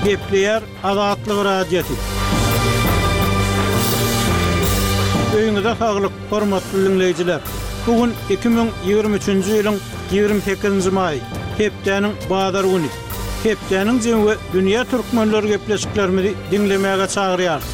Gepleýär Azatlyk Radiosy. Öýüňize saglyk, hormatly diňleýjiler! Bu gün 2023-nji ýylyň 28-nji maýy, hepdäniň bazar güni. Hepdäniň jemi we dünýä türkmenleri gepleşiklerimizi diňlemäge çagyrýarys.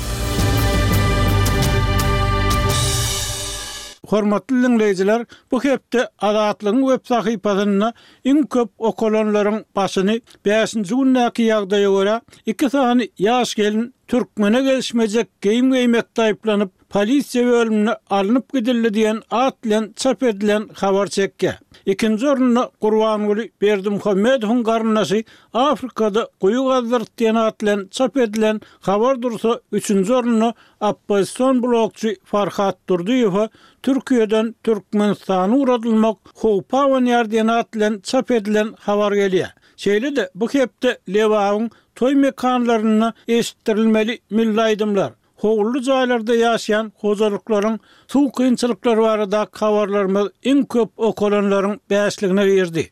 Hormatly diňleýjiler, bu hepde Azatlygyň web sahypasynda iň köp okalanlaryň başyny bäşinji gündäki ýagdaýa görä, iki sany ýaş gelin türkmene gelişmejek geýim geýmekde aýyplanyp, polisiýa bölümine alnyp gidildi diýen at bilen çap edilen habar çekýär. Ikinji orunda Gurbanguly Berdimuhamedowyň garyndaşy Afrikada guýy gazdyrdy diýen at bilen çap edilen habar dursa, üçünji orunda Oppozision blogçy Farhat Durdyýewe Türkiýeden Türkmenistana ugradylmak howpy abanýar diýen at bilen çap edilen habar gelýär. Şeýle-de bu hepde Lebabyň toý mekanlarynda eşitdirilmeli milli aýdymlar, howully jaýlarda ýaşaýan hojalyklaryň suw kynçylyklary baradaky habarlarymyz iň köp okalanlaryň bäşligine girdi.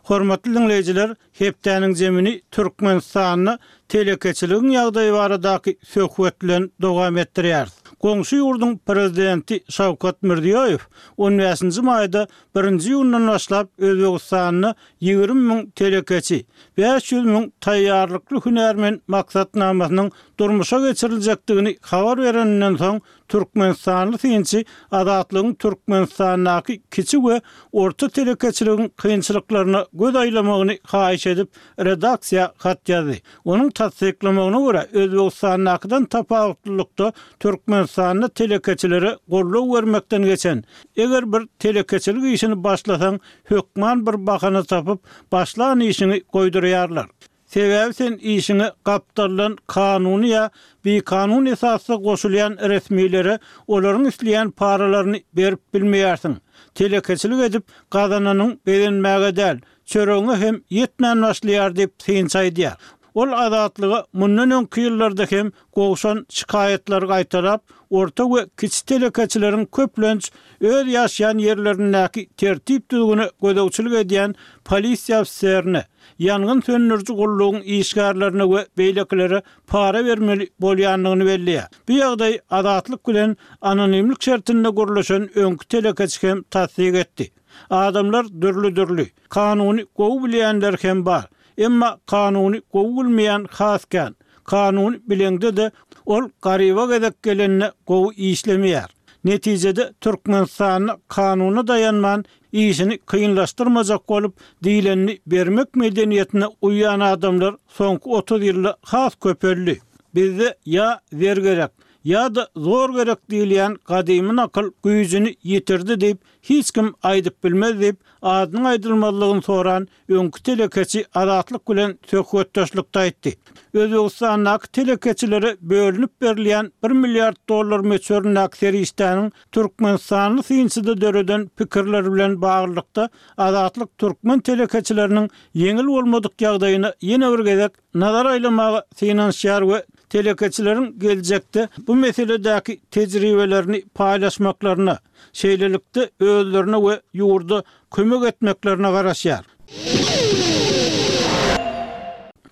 Hormatly diňleýjiler, Hepdäniň zemini Türkmenistanda telekeçiligiň ýagdaýy baradaky söhbet bilen dowam etdirýäris. Goňşy ýurduň Prezidenti Şawkat Mirziýoýew on bäşinji maýda birinji iýundan başlap Özbegistanda 20 müň telekeçi, 500 müň taýýarlykly hünärmen maksatnamasynyň durmuşa geçiriljekdigini habar bereninden soň Türkmenistanly synçy Azatlygyň Türkmenistandaky kiçi we orta telekeçiligiň kynçylyklaryna göz aýlamagyny haýyş edip, redaksiýa hat ýazdy. Onuň tassyklamagyna görä, Özbegistandakydan tapawutlylykda Türkmenistanda telekeçilere goldaw bermekden geçen, eger bir telekeçilik işini başlasaň, hökman bir bahana tapyp, başlan işiňi goýdurýarlar. Sebäbi sen işiňe gapdaldan kanuny ýa bikanun esasda goşulýan resmilere olaryň isleýän paralaryny berip bilmeýärsiň. Telekeçilik edip gazananyň begenmäge däl, çöregiňe hem ýetmän başlaýar diýip, synçy aýdýar. Ol Azatlyga mundan öňki ýyllarda hem gowşan şikaýatlary gaýtalap, orta we kiçi telekeçileriň köplenç öz ýaşaýan ýerlerindäki tertip-düzgüne gözegçilik edýän polisiýa ofiserine, ýangyn söndüriji gullugyň işgärlerine we beýlekilere para bermeli bolýandygyny belleýär. Bu ýagdaýy Azatlyk bilen anonimlik şertinde gürleşen öňki telekeçi hem tassyk etdi. Adamlar dürli-dürli. Kanuny gowy bilýänler hem bar. Emma kanuny gowy bilmeýän has kän. Kanuny bileňde-de, ol garyba gezek gelende gowy işlemeýär. Netijede Türkmenistanda kanuna daýanman Işini kynlaşdyrmajak bolup, diýlenini bermek medeniýetine uýýan adamlar soňky 30 ýylda has köpeldi. Bizde ýa zer gerek, ýa-da zor gerek diýilýän gadymy nakyl güýjüni ýitirdi diýip hiç kim aýdyp bilmez diýip, adynyň aýdylmazlygyny soran öňki telekeçi Azatlyk bilen söhbetdeşlikde aýtdy. Özbegistandaky telekeçilere bölünip berilýän bir milliard dollar möçberindäki serişdäniň türkmenistanly synçyda döreden pikirleri bilen baglylykda, Azatlyk türkmen telekeçileriniň ýeňil bolmadyk ýagdaýyna ýene bir gezek nazar aýlamaga synanyşýar we telekeçileriň geljekde bu meseledäki tejribelerini paýlaşmaklaryna, şeýlelikde özlerine we ýurda kömek etmeklerine garaşýar.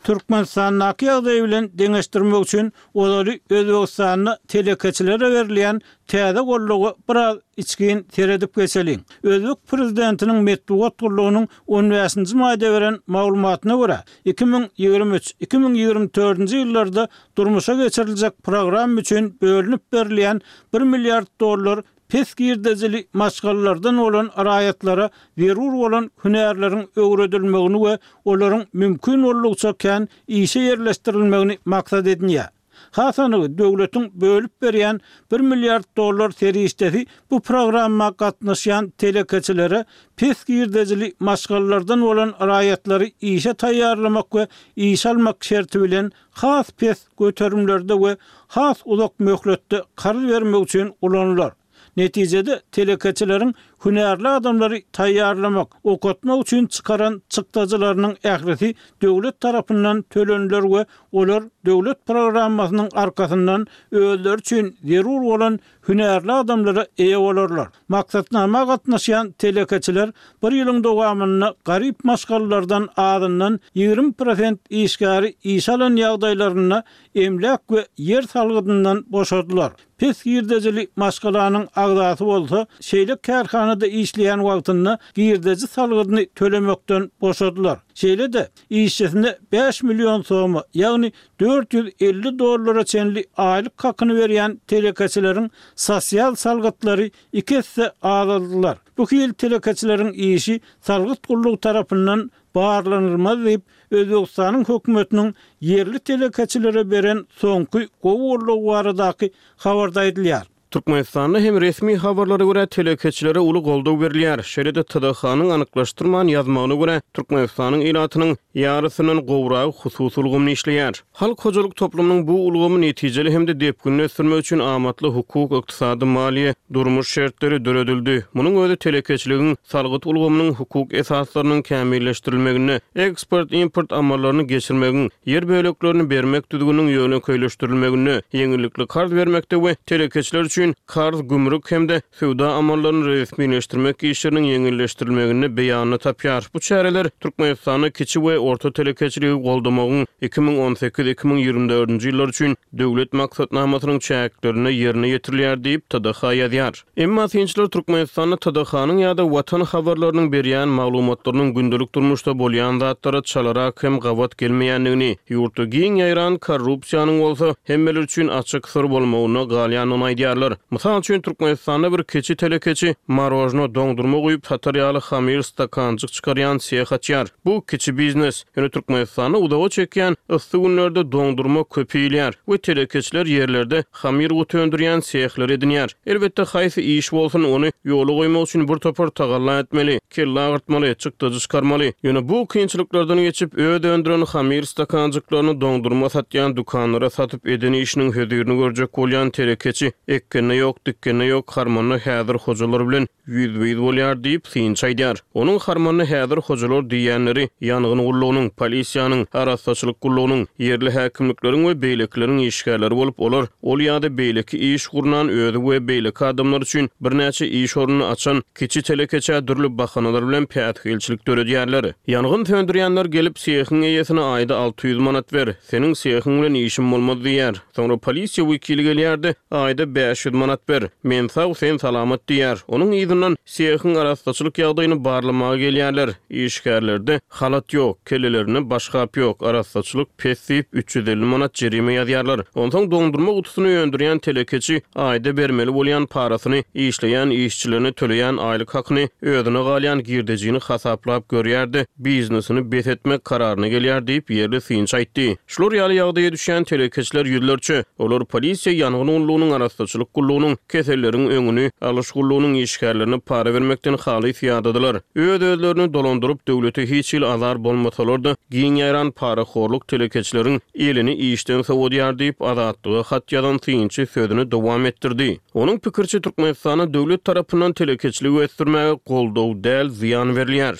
Türkmenistandaky ýagdaý bilen deňeşdirmek üçin ozaly Özbegistanda telekeçilere berilýän täze goldawa biraz içgin seredip geçeliň. Özbek prezidentiniň metbugat gullugynyň on bäşinji maýda beren maglumatyna görä, 2023, 2024-nji ýyllarda durmuşa geçiriljek programma üçin bölünip berilýän bir milliard dollar pes girdejili maşgalalardan bolan raýatlara zerur bolan hünärleriň öwredilmegini we olaryň mümkin boldugyça kän işe ýerleşdirilmegini maksat edinýär. Has anygy, döwletiň bölüp berýän bir milliard dollar serişdesi bu programma gatnaşýan telekeçilere pes girdejili maşgalalardan bolan raýatlary işe taýýarlamak we işe almak şerti bilen has pes göterimlerde we has uzak möhletde karz bermek üçin ulanylar. Netijede, telekeçileriň hünärli adamlary taýýarlamak, okatmak üçin çykaran çykdajylarynyň ählisi döwlet tarapyndan töleniler we olar döwlet programmasynyň arkasyndan özleri üçin zerur bolan hünärli adamlara eýe bolarlar. Maksatnama gatnaşýan telekeçiler bir ýylyň dowamynda garyp maşgalalardan azyndan 20 prosent işgäri işe alan ýagdaýlarynda emläk we ýer salgydyndan boşadylar. Pes girdejili maşgalanyň agzasy bolsa, şeýle kärhanada işleýän wagtynda girdeji salgydyny tölemekden boşadylar. Şeýle-de, işçisine 5 million soma, ýagny 450 dollara çenli aýlyk hakyny berýän telekeçileriň sosial salgytlary iki esse azaldylar. Bu hili telekeçileriň işi salgyt gullugy tarapyndan barlanylmaz diýip, Özbegistanyň hökümetiniň ýerli telekeçilere beren soňky gowy goldawy baradaky habarda aýdylýar. Türkmenistanda hem resmi habarlara görä telekeçilere uly goldaw berilýär. Şeýle-de TDH-nyň anyklaşdyrman ýazmagyna görä, Türkmenistanyň ilatynyň ýarysyndan gowragy hususy ulgamda işleýär. Halk hojalyk toplumynyň bu ulgamy netijeli hem-de depginli ösdürmek üçin amatly hukuk, ykdysady, maliýe, durmuş şertleri döredildi. Munuň özi telekeçiligiň, salgyt ulgamynyň hukuk esaslarynyň kämilleşdirilmeginde, eksport-import amallaryny geçirmegiň, ýer böleklerini bermek düzgüniniň ýönekeýleşdirilmeginde, ýeňillikli karz bermekde we telekeçiler üçin karz, gümrük hem-de söwda amallaryny resmileşdirmek işleriniň ýeňilleşdirilmeginde beýanyny tapýar. Bu çäreler Türkmenistanda kiçi we orta telekeçiligi goldamagyň 2018, 2024-nji ýyllar üçin Döwlet maksatnamasynyň çäklerinde ýerine ýetirilýär diýip, TDH ýazýar. Emma synçylar Türkmenistanda TDH-nyň ýa-da Watan habarlarynyň berýän maglumatlarynyň gündelik durmuşda bolýan zatlara çalarak hem gabat gelmeýändigini, ýurtda giň ýaýran korrupsiýanyň bolsa hemmeler üçin açyk syr bolmagynda galýandygyny aýdýarlar. Mysal üçin, Türkmenistanda bir kiçi telekeçi marožno, doňdurma guýup satar ýaly hamyr stakanjyk çykarýan seh açýar. Bu kiçi biznes. Ýöne Türkmenistanda uzaga çekýän yssy günlerde doňdurma köp iýilýär we telekeçiler ýerlerde hamyr guty öndürýän sehleri edinýär. Elbetde, haýsy iş bolsun, ony ýola goýmak üçin bir topar tagalla etmeli, kelle agyrtmaly, çykdajy çykarmaly. Ýöne bu kynçylyklardan geçip, öz öndüren hamyr stakanjyklaryny doňdurma satýan dükanlara satyp eden işiniň hözirini görjek bolýan telekeçi ekgende ýok, dikgende ýok, harmanda häzir hojalar bilen ýüzbe-ýüz bolýar diýip, synçy aýdýar. Onuň harmanyna häzir hojalar diýýänleri ýangyn gullugynyň, polisiýanyň, arassaçylyk gullugynyň, ýerli häkimlikleriň we beýlekileriň işgärleri bolup, olar ol ýa-da beýleki iş gurnan özi we beýleki adamlar üçin birnäçe iş ornuny açan kiçi telekeçä dürli bahanalar bilen päsgelçilik döredýärler. Ýangyn söndürýänler gelip, sehiň eýesine aýda 600 manat ber, seniň sehiň bilen işim bolmaz diýýär. Soňra polisiýa wekili gelýär-de, aýda 500 manat ber, men sag, sen salamat diýýär. Onuň yzyndan sehiň arassaçylyk ýagdaýyny barlamaga gelýärler. Işgärlerde halat ýok, kellelerinde başgap ýok, arassaçylyk pes diýip, 350 manat jerime ýazýarlar. Onsoň doňdurma gutusyny öndürýän telekeçi aýda bermeli bolýan parasyny, işleýän işçilerine töleýän aýlyk hakyny, özüne galýan girdejini hasaplap görýär-de, biznesini bes etmek kararyna gelýär diýip, ýerli synçy aýtdy. Şular ýaly ýagdaýa düşýän telekeçiler ýüzlerçe. Olar polisiýa, ýangyn gullugynyň, arassaçylyk gullugynyň, keselleriň öňüni alyş gullugynyň işgärlerine para bermekden halys ýadadylar. Öz-özlerini dolandyryp, döwlete hiç hili azar bolmasalar-da, giň ýaýran parahorluk telekeçileriň elini işden sowadýar diýip, Azatlyga hat ýazan synçy sözüni dowam etdirdi. Onuň pikiriçe, Türkmenistanda döwlet tarapyndan telekeçiligi ösdürmäge goldaw däl, zyýan berilýär.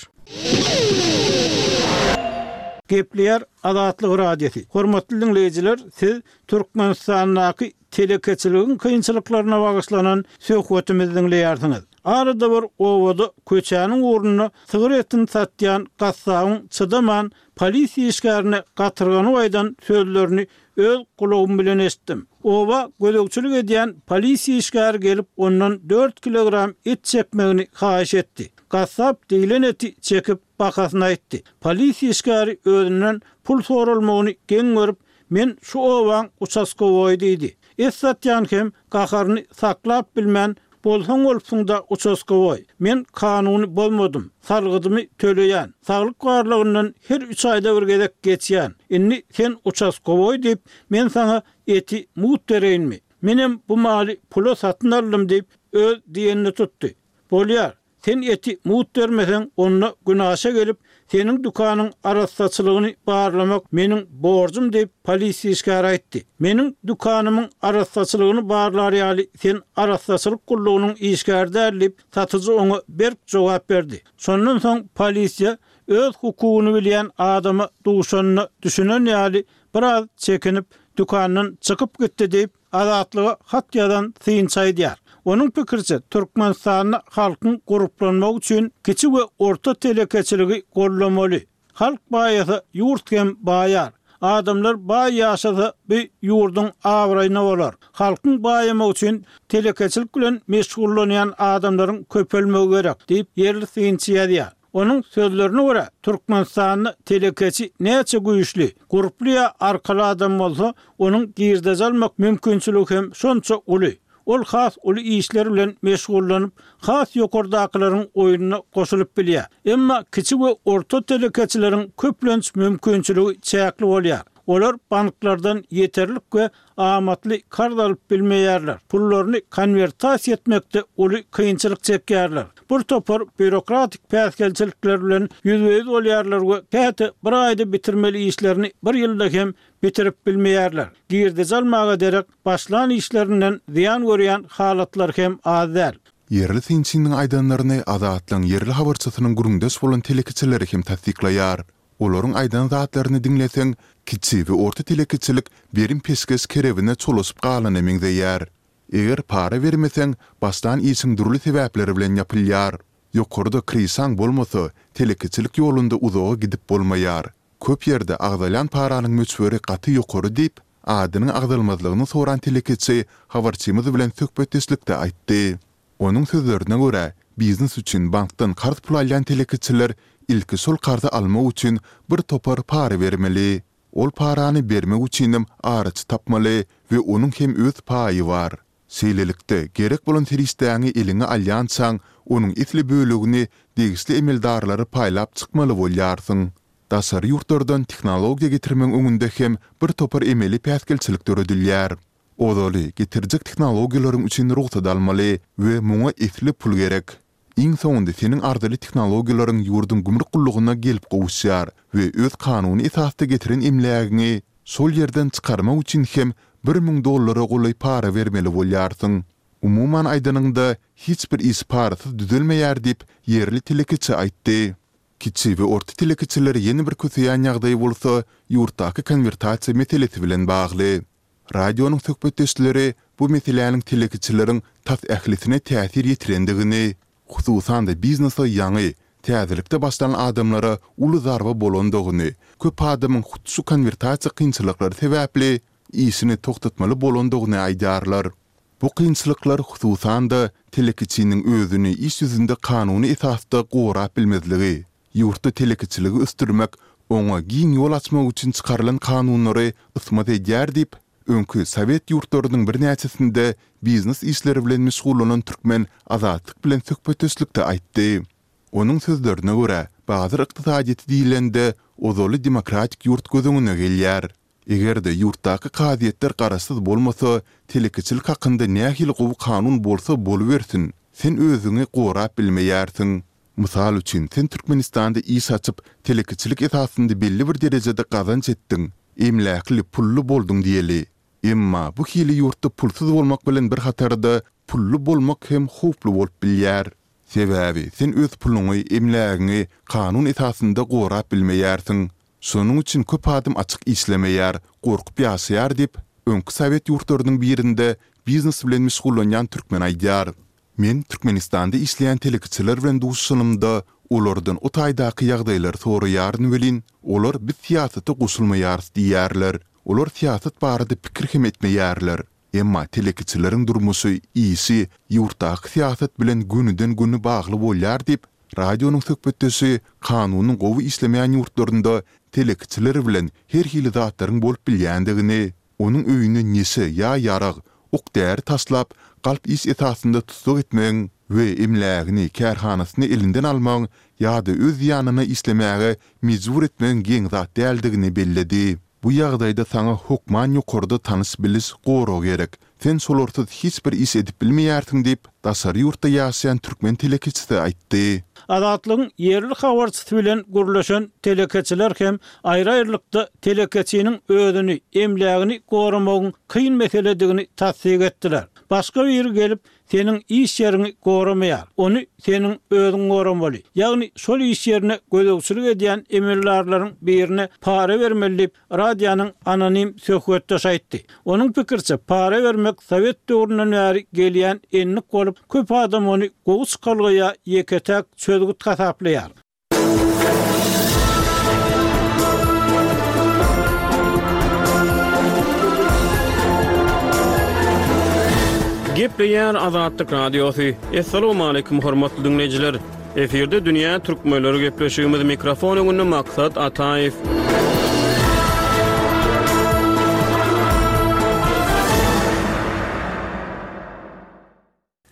Gepleýär Azatlyk Radiosy. Hormatly diňleýjiler, siz Türkmenistandaky telekeçiligiň kynçylyklaryna bagyşlanan söhbetimizi diňleýärsiňiz. Arada bir obada köçäniň ugrunda sygyr etini satýan gassabyň çydaman polisiýa işgärine gatyrganyp aýdan sözlerini öz gulagym bilen eşitdim. Oba gözegçilik edýän polisiýa işgäri gelip ondan dört kilogram et çekmegini haýyş etdi. Gassap diýlen eti çekip bahasyny aýtdy. Polisiýa işgäri özünden pul soralmagyny geň görüp, Men şu obaň uçaskowoýy diýdi. Et satýan hem gaharyny saklap bilmän, Bolsaň bolupsyň-da uçaskowoý. Men kanuny bozmadym. Salgydymy töleýän. Saglyk barlagyndan her üç aýda bir gezek geçýän. Indi sen uçaskowoý diýip, men saňa eti mugt bereýinmi? Menem bu maly pula satyn aldym diýip, öz diýenini tutdy. Bolýar. Sen eti mugt bermeseň, onda günaşa gelip, seniň dükanyň arassaçylygyny barlamak meniň borjum diýip, polisiýa işgäri aýtdy. Meniň dükanymyň arassaçylygyny barlar ýaly sen arassaçylyk gullugynyň işgäri däl diýip, satyjy oňa berk jogap berdi. Şondan soň polisiýa öz hukugyny bilýän adama duşanyna düşünen ýaly biraz çekinip, dükandan çykyp gitdi diýip, Azatlyga hat ýazan synçy aýdýar. Onuň pikiriçe, Türkmenistanda halkyň gurplanmagy üçin kiçi we orta telekeçiligi goldamaly. Halk baýasa, ýurt hem baýar. Adamlar baý ýaşasa, bu ýurduň abraýyna bolar. Halkyň baýamagy üçin telekeçilik bilen meşgullanýan adamlaryň köpelmegi gerek diýip, ýerli synçy ýazýar. Onuň sözlerine görä, Türkmenistanda telekeçi näçe güýçli, gurply ýa arkaly adam bolsa, onuň girdeji almak mümkinçiligi hem şonça uly. Ol has uly işler bilen meşgullanyp, has ýokardakylaryň oýnuna goşulyp bilýär. Emma kiçi we orta telekeçileriň köplenç mümkinçiligi çäkli bolýar. Olar banklardan ýeterlik we amatly karz alyp bilmeýärler, pullaryny konwertasiýa etmekde uly kynçylyk çekýärler, bir topar býurokratik päsgelçilikler bilen ýüzbe-ýüz bolýarlar we käte bir aýda bitirmeli işlerini bir ýylda hem bitirip bilmeýärler. Girdeji almaga derek, başlan işlerinden zyýan görýän halatlar hem az däl. Ýerli synçynyň aýdanlaryny Azatlygyň ýerli habarçysynyň gürrüňdeş bolan telekeçileri hem tassyklaýar. Olaryň aýdan zatlaryny diňleseň, kiçi we orta telekeçilik berim-peşgeş kerebine çolaşyp galana meňzeýär. Eger para bermeseň, başlan işiň dürli sebäpler bilen ýapylýar. Ýokarda kryşaň bolmasa, telekeçilik ýolunda uzaga gidip bolmaýar. Köp ýerde agzalýan paranyň möçberi gaty ýokary diýip, adynyň agzalmazlygyny soran telekeçi habarçymyz bilen söhbetdeşlikde aýtdy. Onuň sözlerine görä, biznes üçin bankdan karz pul alýan telekeçiler ilki şol karzy almak üçin bir topar para bermeli. Ol parany bermek üçinem araçy tapmaly we onuň hem öz paýy bar. Şeýlelikde, gerek bolan serişdäňi eliňe alýançaň, onuň esli bölegini degişli emeldarlara paýlap çykmaly bolýarsyň. Daşary ýurtlardan tehnologiýa getirmegiň öňünde hem bir topar emeli päsgelçilik döredilýär. Ozaly, getirjek tehnologiýalaryň üçin rugsat almaly we muňa esli pul gerek. Iň soňunda seniň arzyly tehnologiýalaryň ýurduň gümrük gullugyna gelip gowuşýar we öz kanuny esasda getiren emlägiňi şol ýerden çykarmak üçin hem 1000 dollara golaý para bermeli bolýarsyň. Umuman aýdanyňda, hiç bir iş parasyz düzelmeýär diýip, ýerli telekeçi aýtdy. Kiçi we orta telekeçileri ýene bir köseýän ýagdaý bolsa, ýurtdaky konwertasiýa meselesi bilen bagly. Radionyň söhbetdeşleri bu meseläniň telekeçileriň tas ählisine täsir ýetirendigini, hususan-da biznese ýaňy, täzelikde başlan adamlara uly zarba bolandygyny, köp adamyň hut şu konwertasiýa kynçylyklary sebäpli işini togtatmaly bolandygyny aýdýarlar. Bu kynçylyklar hususan-da telekeçiniň özüni iş ýüzünde kanuny esasda gorap bilmezligi, Ýurtda telekeçiligi ösdürmek, oňa giň ýol açmak üçin çykarylan kanunlary ysmaz edýär diýip, öňki sowet ýurtlarynyň birnäçesinde biznes işleri bilen meşgullanan türkmen Azatlyk bilen söhbetdeşlikde aýtdy. Onuň sözlerine görä, bazar ykdysadyýeti diýlende, ozaly demokratik ýurt göz öňüne gelýär. Eger-de ýurtdaky kazyýetler garaşsyz bolmasa, telekeçilik hakynda nähili gowy kanun bolsa bolubersin, sen özüňi gorap bilmeýärsiň. Mysal üçin, sen Türkmenistanda iş açyp, telekeçilik esasynda belli bir derejede gazanç etdiň, emläkli, pully bolduň diýeli. Emma bu hili ýurtda pulsuz bolmak bilen bir hatarda pully bolmak hem howply bolup bilýär. Sebäbi sen öz puluňy, emlägiňi kanun esasynda gorap bilmeýärsiň. Şonuň üçin köp adam açyk işlemeýär, gorkup ýaşaýar diýip, öňki sowet ýurtlarynyň birinde biznes bilen meşgullanýan türkmen aýdýar. Men Türkmenistanda işleýän telekeçiler bilen duşuşanymda, olardan o taýdaky ýagdaýlary soraýaryn welin, olar biz syýasata goşulmaýarys diýýärler. Olar syýasat barada pikir hem etmeýärler. Emma telekeçileriň durmuşy, işi ýurtdaky syýasat bilen gönüden-göni bagly bolýar diýip, radionyň söhbetdeşi kanunyň gowy işlemeýän ýurtlarynda telekeçiler bilen her hili zatlaryň bolup bilýändigini, Onuň öýüne neşe ýa ýarag, ok-däri taşlap, galp iş esasynda tussag etmegiň we emlägini, kärhanasyny elinden almagyň ýa-da öz zyýanyna işlemäge mejbur etmegiň geň zat däldigini belledi. Bu ýagdaýda saňa hokman ýokarda tanyş-biliş, gorag gerek. Sen şolarsyz hiç bir iş edip bilmeýärsiň diýip, daşary ýurtda ýaşaýan türkmen telekeçisi aýtdy. Azatlygyň ýerli habarçysy bilen gürleşen telekeçiler hem aýry-aýrylykda telekeçiniň özüni, emlägini goramagyň kyn meseledigini tassyk etdiler. Başga biri gelip, seniň iş ýeriňi goramaýar. Ony seniň özüň goramaly. Ýagny şol iş ýerine gözegçilik edýän emeldarlaryň birine para bermeli diýip, radionyň anonim söhbetdeşi aýtdy. Onuň pikiriçe, para bermek sowet döwründen bäri gelýän endik bolup, köp adam ony gowy çykalga ýa ýeke-täk çözgüt hasaplaýar. Gepleýär Azatlyk Radiosy. Assalamualaikum hormatly diňleýjiler. Efirde dünýä türkmenleri gepleşigimiz mikrofon öňünde Maksat Ataýew.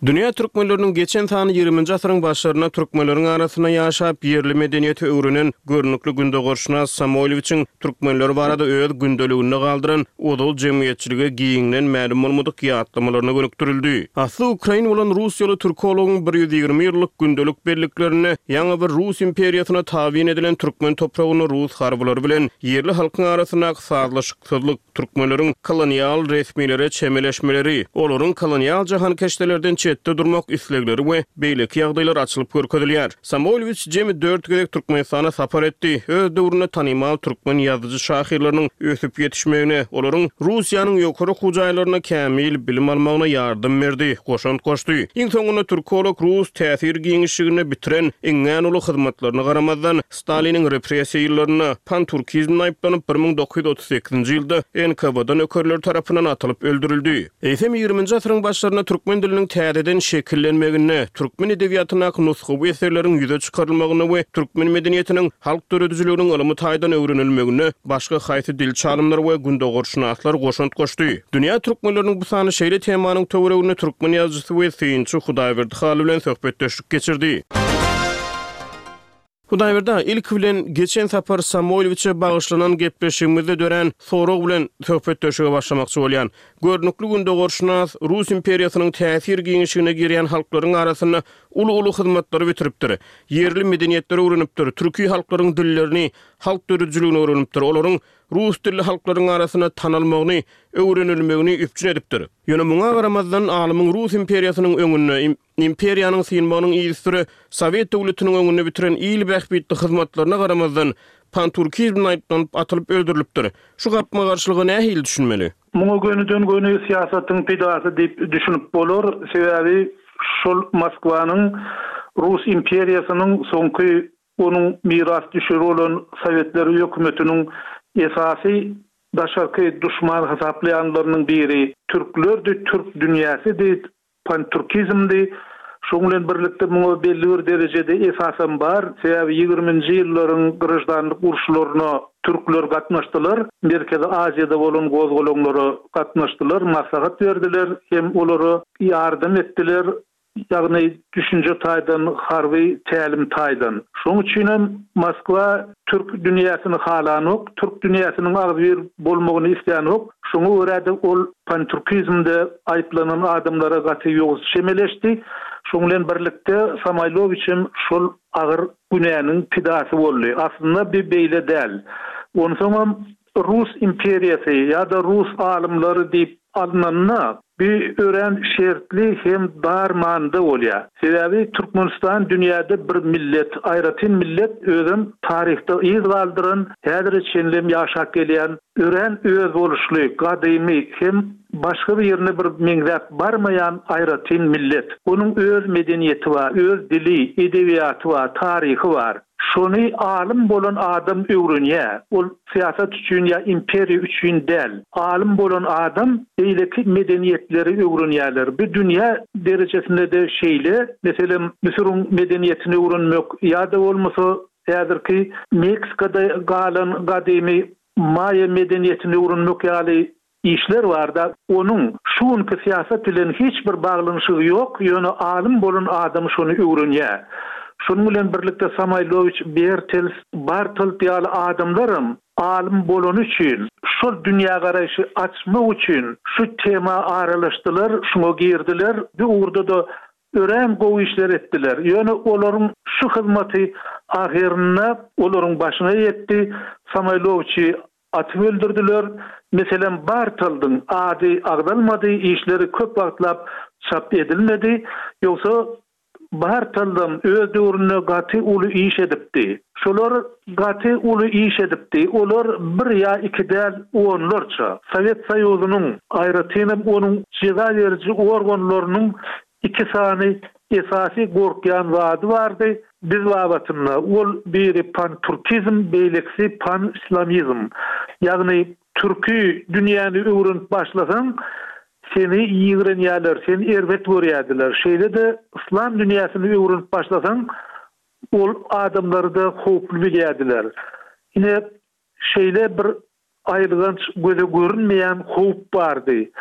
Dünýä türkmenleriniň geçen sany ýigriminji asyryň başlarynda türkmenleriň arasynda ýaşap, ýerli medeniýeti öwrenen görnükli gündogarşynas Samoýlowiçiň türkmenler barada öz gündeliginde galdyran ozal jemgyýetçilige giňden mälim bolmadyk ýatlamalaryna gönükdirildi. Asly ukrain bolan russiýaly türkologyň 120 ýyllyk gündelik belliklerinde ýaňy bir Rus imperiýasyna tabyn edilen türkmen topragynda rus harbylary bilen ýerli halkyň arasyndaky sazlaşyksyzlyk, Türkmenleriň kolonial resmilere çemeleşmeleri, olaryň kolonial jahankeşdelerden çetde durmak islegleri we beýleki ýagdaýlar açylyp görkezilýär. Samoýlowiç jemi dört gezek Türkmenistana sapar etdi. Öz döwründe tanymal türkmen ýazyjy-şahyrlarynyň ösüp ýetişmegine, olaryň Russiýanyň ýokary okuw jaýlarynda kämil bilim almagyna ýardam berdi, goşant goşdy. Iň soňunda türkolog rus täsir giňişliginde bitiren iňňän uly hyzmatlaryna garamazdan, Staliniň repressiýa ýyllarynda panturkizmde aýyplanyp, 1938-nji ýylda NKWD nökerleri tarapyndan atylyp öldürildi. Eýsem, ýigriminji asyryň başlarynda türkmen diliniň täzeden şekillenmeginde, türkmen edebiýatyndaky nusgawy eserleriň ýüze çykarylmagynda we türkmen medeniýetiniň, halk döredijiliginiň ylmy taýdan öwrenilmeginde başga haýsy dilçi alymlar we gündogarşynaslar goşant goşdy? Dünýä türkmenleriniň bu sany şeýle temanyň töwereginde türkmen ýazyjysy we synçy Hudaýberdi Hally bilen söhbetdeşlik geçirdi. Hudaýberdi aga, ilki bilen, geçen sapar Samoýlowiçe bagyşlanan gepleşigimizde dörän sorag bilen söhbetdeşlige başlamakçy bolýan. Görnükli gündogarşynas Rus imperiýasynyň täsir giňişigine girýän halklaryň arasynda uly-uly hyzmatlary bitiripdir. Ýerli medeniýetleri öwrenipdir, türki halklaryň dillerini, halk döredijiligini öwrenipdir, olaryň rus dilli halklaryň arasynda tanalmagyny, öwrenilmegini üpjün edipdir. Ýöne muňa garamazdan, alymyň Rus imperiýasynyň öňünde, Imperiýanyň synmagynyň yzysüre Sowet döwletiniň öňünde bitiren il bähbitli hyzmatlaryna garamazdan, panturkizmde aýyplanyp atylyp öldürilipdir. Şu gapma-garşylyga nähili düşünmeli? Muňa gönüden-göni syýasatyň pidasy diýip düşünip bolar. Sebäbi şol Moskwanyň Rus imperiýasynyň soňky onuň mirasdüşeri bolan Sowetler hökümetiniň esasy daşarky duşman hasaplaýanlarynyň biri türklerdi, türk dünýäsidi, Pantürkizmdi. Şonuň bilen birlikde muňa belli bir derejede esasam bar. Sebäbi ýigriminji ýyllaryň graždanlyk uruşlaryna türkler gatnaşdylar. Merkezi Aziýada bolan gozgalaňlara gatnaşdylar, maslahat berdiler hem olara ýardam etdiler. Ýagny düşünje taýdan, harby tälim taýdan. Şonuň üçinem Moskwa türk dünýäsini halanok, türk dünýäsiniň agzybir bolmagyny islänok. Şoňa görä-de ol pantürkizmde aýyplanan adamlara gaty ýowuz çemeleşdi. Şoň bilen birlikde Samoýlowiç hem şol agyr günäniň pidasy boldy. Aslynda bi beýle däl. Onsoňam Rus imperiýasy ýa-da rus alymlary diýip alnanda, bi örän şertli hem dar manyda bolýar. Sebäbi Türkmenistan dünýäde bir millet, aýratyn millet, özem taryhda yz galdyran, häzire çenlem ýaşap gelýän örän özboluşly, gadymy hem başga birine bir meňzäp barmaýan aýratyn millet. Onuň öz medeniýeti bar, öz dili, edebiýaty bar, taryhy bar. Şony alym bolan adam öwrenýär. Ol syýasat üçin ýa imperiýa üçin däl. Alym bolan adam beýleki medeniýetleri öwrenýärler. Bu dünýä derejesinde-de şeýle. Meselem, Müsüriň medeniýetini öwrenmek ýa-da bolmasa häzirki Meksikada galan gadymy maýa medeniýetini öwrenmek ýaly işler barda, onuň şu günki syýasat bilen hiç bir baglanyşygy ýok, ýöne alym bolan adam şony öwrenýär. Şonuň bilen birlikde Samoýlowiç, Bertels, Bartold ýaly adamlaram alym bolany üçin. Şol dünýägaraýşy açmak üçin şu tema aralaşdylar, şuňa girdiler. Bu ugurda-da örän gowy işler etdiler. Ýöne olaryň şu hyzmaty ahyrynda olaryň başyna ýetdi. Samoýlowiçi atyp öldürdiler. Meselem, Bartoldyň ady agzalmady, işleri köp wagtlap çap edilmedi. Ýogsa Bartoldam öz döwründe gaty uly iş edipdi. Şolar gaty uly iş edipdi. Olar bir ýa iki däl, onlarça. Sowet Soýuzynyň, aýratynam onuň jeza beriji organlarynyň iki sany esasy gorkýan zady bardy biz babatynda. Ol biri panturkizm, beýlekisi panislamizm. Ýagny türki dünýäni öwrenip başlasaň, Seni ýigrenýärler, seni erbet görýärdiler. Şeýle-de yslam dünýäsini öwrenip başlasaň, ol adamlary-da howply bilýärdiler. Ine, şeýle bir aýylganç göze görünmeýän howp bardy.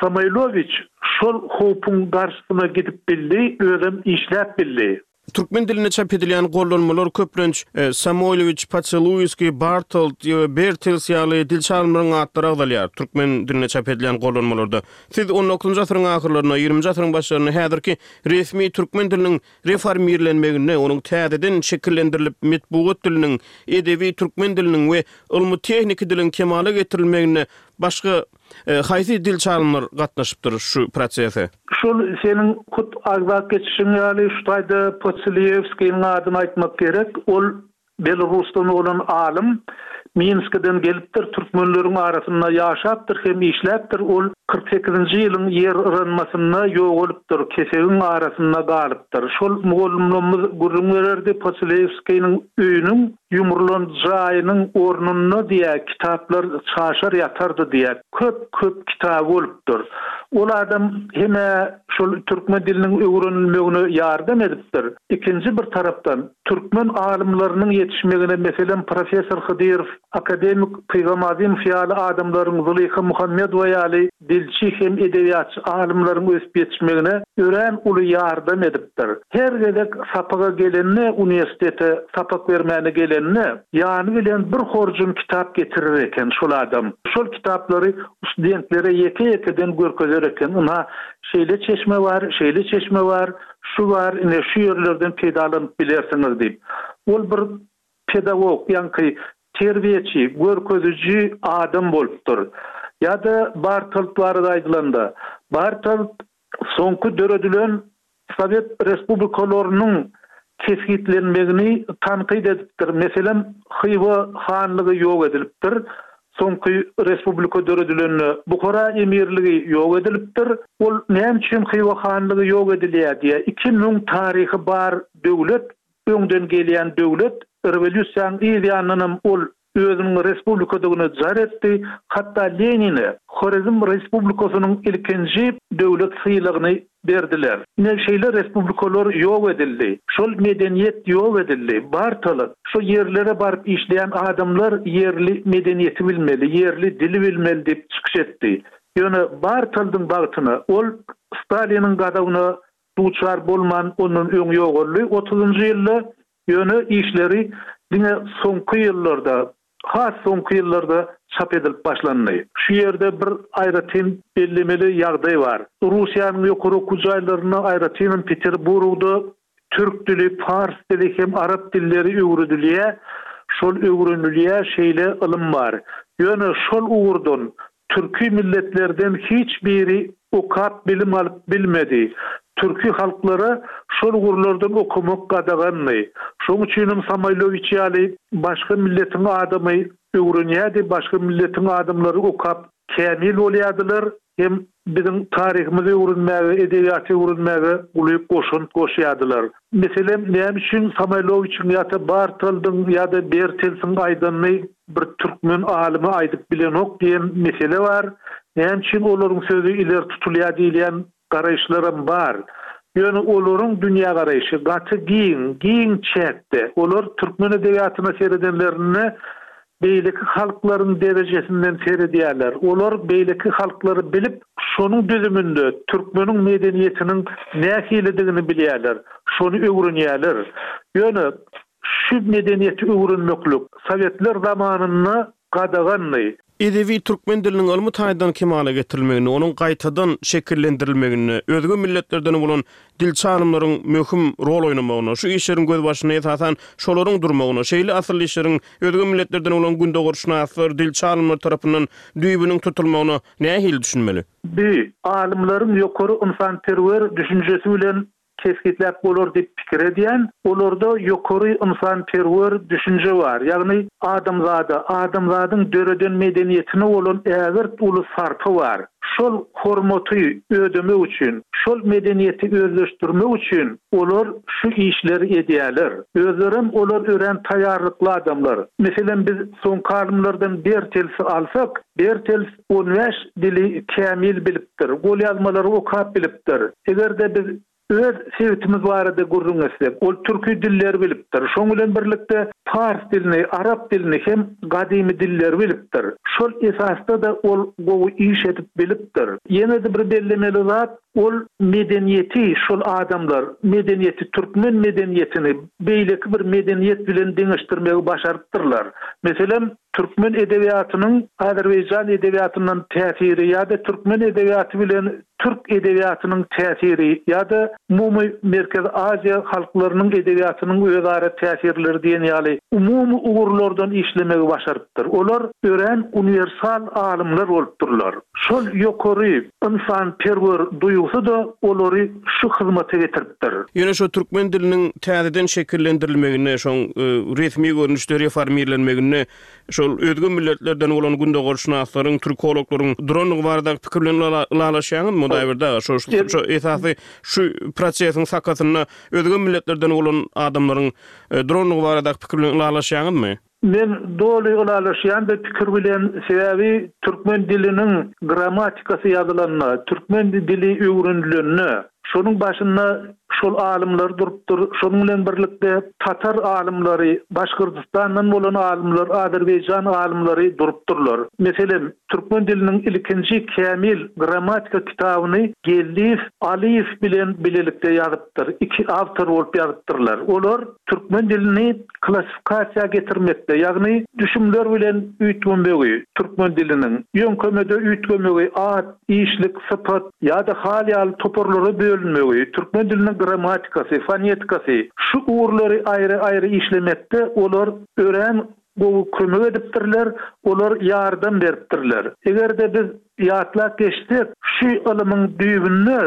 Samoýlowiç şol howpuň garşysyna gidip bildi, özem işläp bildi. Türkmen dilinde çap edilýän gollanmalar köplenç Samoýlowiç, Poçeluýskiý, Bartold we Bertels ýaly dilçi alymlaryň atlary agzalýar. Türkmen dilinde çap edilýän gollanmalarda. Siz on dokuzynjy asyryň ahyrlarynda, ýigriminji asyryň başlarynda häzirki resmi türkmen diliniň reformirlenmeginde, onuň täzeden şekillendirilip, metbugat diliniň, edebi türkmen diliniň we ylmy-tehniki diliň kemala getirilmeginde başga Haýsy dilçi alymlar gatnaşypdyr şu prosese? Şol seniň hut agzap geçişiň ýaly şu taýda Poçeliýewskiniň adyny aýtmak gerek. Ol Belarusdan bolan alym. Minskiden gelipdir, türkmenleriň arasynda ýaşapdyr hem işläpdir. Ol 48-nji ýylyň ýer yranmasynda ýogalypdyr, kesegiň arasynda galypdyr. Şol mugallymlarymyz gürrüň bererdi, Poçeliýewskiniň öýüniň Ýumrulan jaýynyň ornunda diýä kitaplar çaşar ýatardy diýä. Köp köp kitaby bolupdyr. Ol adam hem-ä şol türkmen diliniň öwrenilmegine ýardam edipdir. Ikinji bir tarapdan türkmen alymlarynyň ýetişmegine meselem professor Hydyrow, akademik Pygam Azymow ýaly adamlaryň Zylyha Muhammedowa ýaly dilçi hem edebiýatçy alymlaryň ösüp ýetişmegine örän uly ýardam edipdir. Her gezek sapaga gelende, uniwersitete sapak bermäne gelende, ýany bilen bir horjun kitap getirer eken şol adam. Şol kitaplary studentlere ýeke-ýekeden görkezer eken, ynha, şeýle çeşme bar, şeýle çeşme bar, şu bar, ine, şu ýerlerden peýdalanyp bilersiňiz diýip. Ol bir pedagog, ýaňky terbiýeçi, görkeziji adam bolupdyr. Ýa-da Bartold barada aýdylanda, Bartold soňky döredilen sowet respublikalarynyň kesgitlenmegini tankyt edipdir. Meselem, Hywa hanlygy ýok edilipdir. Soňky respublika döredilende Buhara emirligi ýok edilipdir. Ol näme üçin Hywa hanlygy ýok edilýär diýýär. 2000 taryhy bar döwlet Öňden gelýän döwlet rewolýusiýanyň yz ýanyndanam ol özüniň respublikadygyny jar etdi, hatda Lenine Horezm respublikasynyň ilkinji döwlet sylagyny berdiler. Ine şeýle respublikalar ýok edildi. Şol medeniýet ýok edildi. Bartalyk, şo ýerlere baryp işleýän adamlar ýerli medeniýeti bilmeli, ýerli dili bilmeli diýip çykyş etdi. Ýöne Bartaldyň bagtyna ol Staliniň gazabyna duçar bolman ondan öň ýogaldy otuzynjy ýylda, ýöne işleri diňe soňky ýyllarda, has soňky ýyllarda çap edilip başlandy. Şu ýerde bir aýratyn bellemeli ýagdaý bar. Russiýanyň ýokary okuw jaýlarynda, aýratynam Peterburgda türk dili, pars dili hem arap dilleri öwredilýär, şol öwrenilýär, şeýle ylym bar. Ýöne şol ugurdan Türki milletlerden hiç biri okap bilim alyp bilmedi. Türki halklara şol ugurlardan okamak gadagandy. Şoň üçinem Samoýlowiç ýaly başga milletiň adamy öwrenýärdi, başga milletiň adamlary okap kämil bolýardylar hem biziň taryhymyzy öwrenmäge, edebiýaty öwrenmäge uly goşant goşýardylar. Meselem, näme üçin Samoýlowiçiň ýa-da Bartoldyň ýa-da Bertelsiň aýdanyny bir türkmen alymy aýdyp bilenok diýen mesele bar. Näme üçin olaryň sözi ileri tutulýar diýilýän garaýyşlaram bar. Ýöne olaryň dünýägaraýşy gaty giň, giň çäkde. Olar türkmen edebiýatyna seredenlerinde beýleki halklaryň derejesinden seredýärler. Olar beýleki halklary bilip, şonuň düzüminde türkmeniň medeniýetiniň nähilidigini bilýärler, şony öwrenýärler. Ýöne şu medeniýeti öwrenmeklik sowetler zamanynda. Gadagandy. Edebi türkmen diliniň ylmy taýdan kemala getirilmeginde, onuň gaýtadan şekillendirilmeginde özge milletlerden bolan dilçi alymlaryň möhüm rol oýnamagyna, şu işleriň gözbaşynda esasan şolaryň durmagyna, şeýle asylly işleriň özge milletlerden bolan gündogarşynaslar, dilçi alymlar tarapyndan düýbüniň tutulmagyna nähili düşünmeli? Bi, alymlaryň ýokary ynsanperwer düşünjesi bilen kesgitläp bolar diýip pikir edýän. Olarda ýokary ynsanperwer düşünje bar, ýagny adamzada, adamzadyň döreden medeniýetine bolan ägirt uly sarpa bar. Şol hormaty ödemek üçin, şol medeniýeti özleşdirmek üçin olar şu işleri edýärler. Özlerem olar örän taýýarlykly adamlar. Meselem, biz soňky alymlardan Bertelsi alsak, Bertels 15 dili kämil bilipdir, golýazmalary okap bilipdir. Eger-de biz öz sebitimiz barada gürrüň etsek, ol türki dilleri bilipdir. Şoň bilen birlikde pars dilini, arap dilini hem gadymy dilleri bilipdir. Şol esasda-da ol gowy iş edip bilipdir. Ýene-de bir bellemeli zat, ol medeniýeti şol adamlar, medeniýeti, türkmen medeniýetini beýleki bir medeniýet bilen deňeşdirmegi başarypdyrlar. Meselem, Türkmen edebiýatynyň azerbaýjan edebiýatyndan täsiri ýa-da türkmen edebiýaty bilen türk edebiýatynyň täsiri ýa-da umumy Merkezi Aziýa halklarynyň edebiýatynyň özara täsirleri diýen ýaly umumy ugurlardan işlemegi başarypdyr. Olar örän uniwersal alymlar bolupdyrlar. Şol ýokary ynsanperwer duýgusy-da olary şu hyzmata getiripdir. Ýöne şo türkmen diliniň täzeden şekillendirilmeginde, şoň resmi görnüşde reformirlenmeginde şol özge milletlerden bolan gündogarşynaslaryň, türkologlaryň durandygy baradaky pikir bilen ylalaşýaňyzmy, Hudaýberdi aga? Şo şo esasy şu prosesiň sakasynda özge milletlerden bolan adamlaryň durandygy baradaky pikir bilen ylalaşýaňyzmy? Men doly ylalaşýan bu pikir bilen, sebäbi türkmen diliniň grammatikasy ýazylanda, türkmen dili öwrenilende, şonuň başynda şol alymlar durupdyr, şonuň bilen birlikde tatar alymlary, Başgyrdystandan bolan alymlar, azerbaýjan alymlary durupdyrlar. Meselem, türkmen diliniň ilkinji kämil grammatika kitabyny Geldiýew Alyýew bilen bilelikde ýazypdyr, iki awtor bolup ýazypdyrlar. Olar türkmen dilini klassifikasiýa getirmekde, ýagny düşümler bilen üýtgemegi, türkmen diliniň, ýöňkemede üýtgemegi, at, işlik, sypat ýa-da hal ýaly toparlara bölünmegi, türkmen diliniň grammatikasy, fonetikasy, şu ugurlary aýry-aýry işlemekde olar örän gowy kömek edipdirler, olar ýardam beripdirler. Eger-de biz ýatlap geçsek, şu ylymyň düýbünde,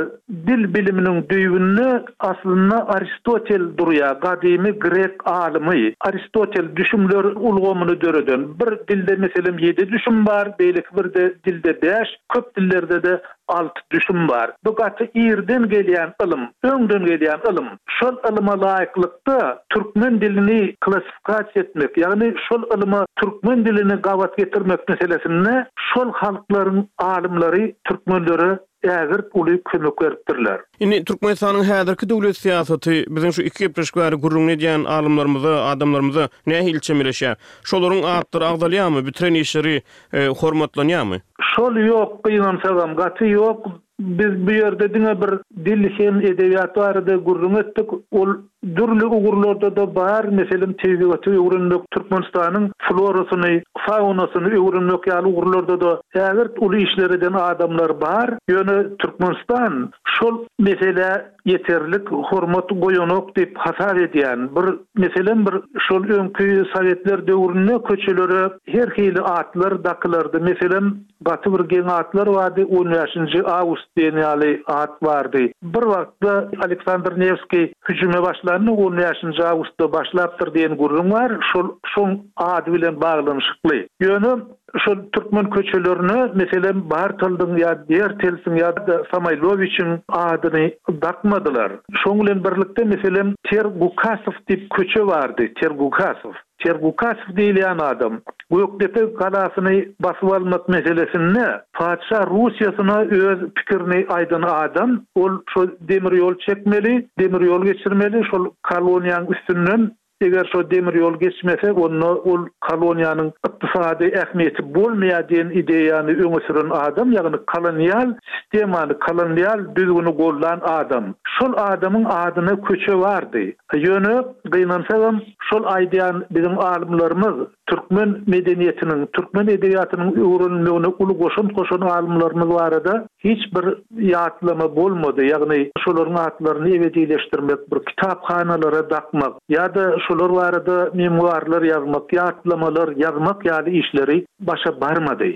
dil biliminiň düýbünde aslynda Aristotel durýar, gadymy grek alymy. Aristotel düşümler ulgamyny döreden. Bir dilde meselem ýedi düşüm bar, beýleki bir dilde bäş, köp dillerde-de alty düşüm bar. Bu gaty irden gelýän ylym, öňden gelýän ylym. Şol ylyma laýyklykda türkmen dilini klassifikasiýa etmek, ýagny şol ylyma türkmen dilini gabat getirmek meselesinde şol halklaryň alymlary türkmenlere ägirt uly kömek beripdirler. Indi Türkmenistanyň häzirki döwlet syýasaty biziň şu iki gepleşik bäri gürrüňini edýän alymlarymyza, adamlarymyza nähili çemeleşýär? Şolaryň atlary agzalýarmy, bitiren işleri hormatlanýarmy? Şol ýok gynansagam gaty ýok. Biz bu ýerde diňe bir dil hem edebiýat barada gürrüň etdik. Ol dürli ugurlarda-da bar. Meselem, tebigaty öwrenmek, Türkmenistanyň florasyny, faunasyny öwrenmek ýaly ugurlarda-da ägirt uly işler eden adamlar bar. Ýöne Türkmenistan şol meselä ýeterlik hormat goýanok diýip hasap edýän. Bir meselem bir şol öňki sowetler döwründe köçelere her hili atlar dakylardy. Meselem, gaty bir geň atlar bardy, on bäşinji awgust diýen ýaly at bardy. Bir wagtda Aleksandr Newskiý hüjüme başlanda on bäşinji awgustda başlapdyr diýen gürrüň bar, şol şoň ady bilen baglanyşykly. Ýöne Şol türkmen köçelerine, meselem, Bartoldyň ýa Bertelsiň ýa-da Samoýlowiçiň adyny dakmadylar. Şoň bilen birlikde, meselem, Tergukasow diýip köçe bardy, Tergukasow. Tergukasow diýilýän adam Gökdepe galasyny basyp almak meselesinde patyşa Russiýasyna öz pikirini aýdan adam. Ol şo demir ýol çekmeli, demir ýol geçirmeli, şol koloniýaň üstünden Eger şo demir ýol geçmese, onda ol koloniýanyň ykdysady ähmiýeti bolmaýar diýen ideýany öňe süren adam, ýagny kolonial sistemany, kolonial düzgüni goldan adam. Şol adamyň adyna köçe bardy. Ýöne, gynansagam, şol aýdýan biziň alymlarymyz. Türkmen medeniýetiniň, türkmen edebiýatynyň öwrenilmegine uly goşant goşan alymlarymyz barada hiç bir ýatlama bolmady, ýagny şolaryň atlaryny ebedileşdirmek, bir kitaphanalara dakmak ýa-da şolar barada memuarlar ýazmak, ýatlamalar ýazmak ýaly işleri başa barmady.